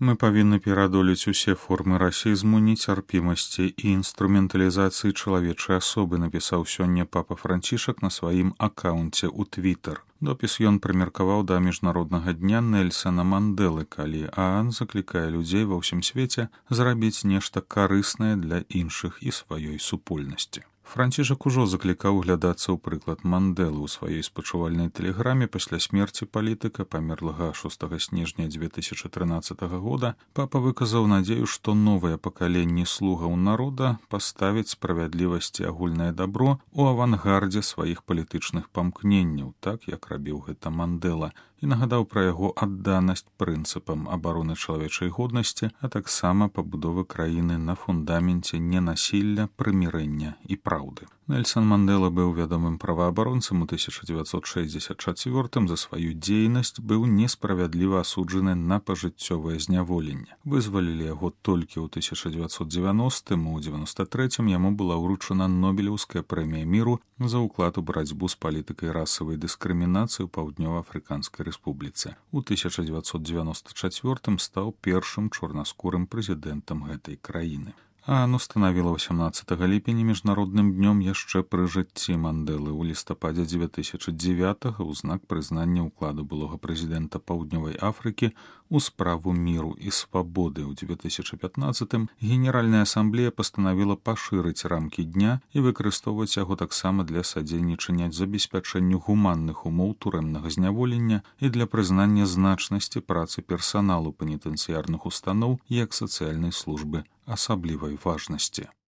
Мы павінны пераадолець усе формы расізму, нецярпімасці і інструменталізацыі чалавечай асобы, напісаў сёння папа Францішак на сваім акаунце ў Твітер. Допіс ён прымеркаваў да міжнароднага дня Нельсана Мандэлы, калі ААН заклікае людзей ва ўсім свеце зрабіць нешта карыснае для іншых і сваёй супольнасці. Францішак ужо заклікаў углядацца ў прыклад Мандэлы ў сваёй спачувальнай тэлеграме пасля смерці палітыка, памерлага 6 снежня 2013 года. Папа выказаў надзею, што новае пакаленне слугаў народа паставіць справядлівасць і агульнае дабро ў авангардзе сваіх палітычных памкненняў, так як рабіў гэта Мандэла, і нагадаў пра яго адданасць прынцыпам абароны чалавечай годнасці, а таксама пабудовы краіны на фундаменце ненасілля, прымірэння і праўды. Нельсан Мандэла быў вядомым праваабаронцам у 1964 за сваю дзейнасць, быў несправядліва асуджаны на пажыццёвае зняволенне. Вызвалілі яго толькі ў 1990, у 93 яму была ўручана Нобелеўская прэмія міру за ўклад у барацьбу з палітыкай расавай дыскрымінацыі ў Паўднёва-Афрыканскай рэспубліцы. У 1994 стаў першым чорнаскурым прэзідэнтам гэтай краіны. ААН устанавіла 18 ліпеня міжнародным днём яшчэ пры жыцці Мандэлы ў лістападзе 2009 ў знак прызнання ўкладу былога прэзідэнта Паўднёвай Афрыкі у справу міру і свабоды. У 2015 Генеральная асамблея пастанавіла пашырыць рамкі дня і выкарыстоўваць яго таксама для садзейнічання забеспячэнню гуманных умоў турэмнага зняволення і для прызнання значнасці працы персаналу пенітэнцыярных устаноў як сацыяльнай службы асаблівай важнасці.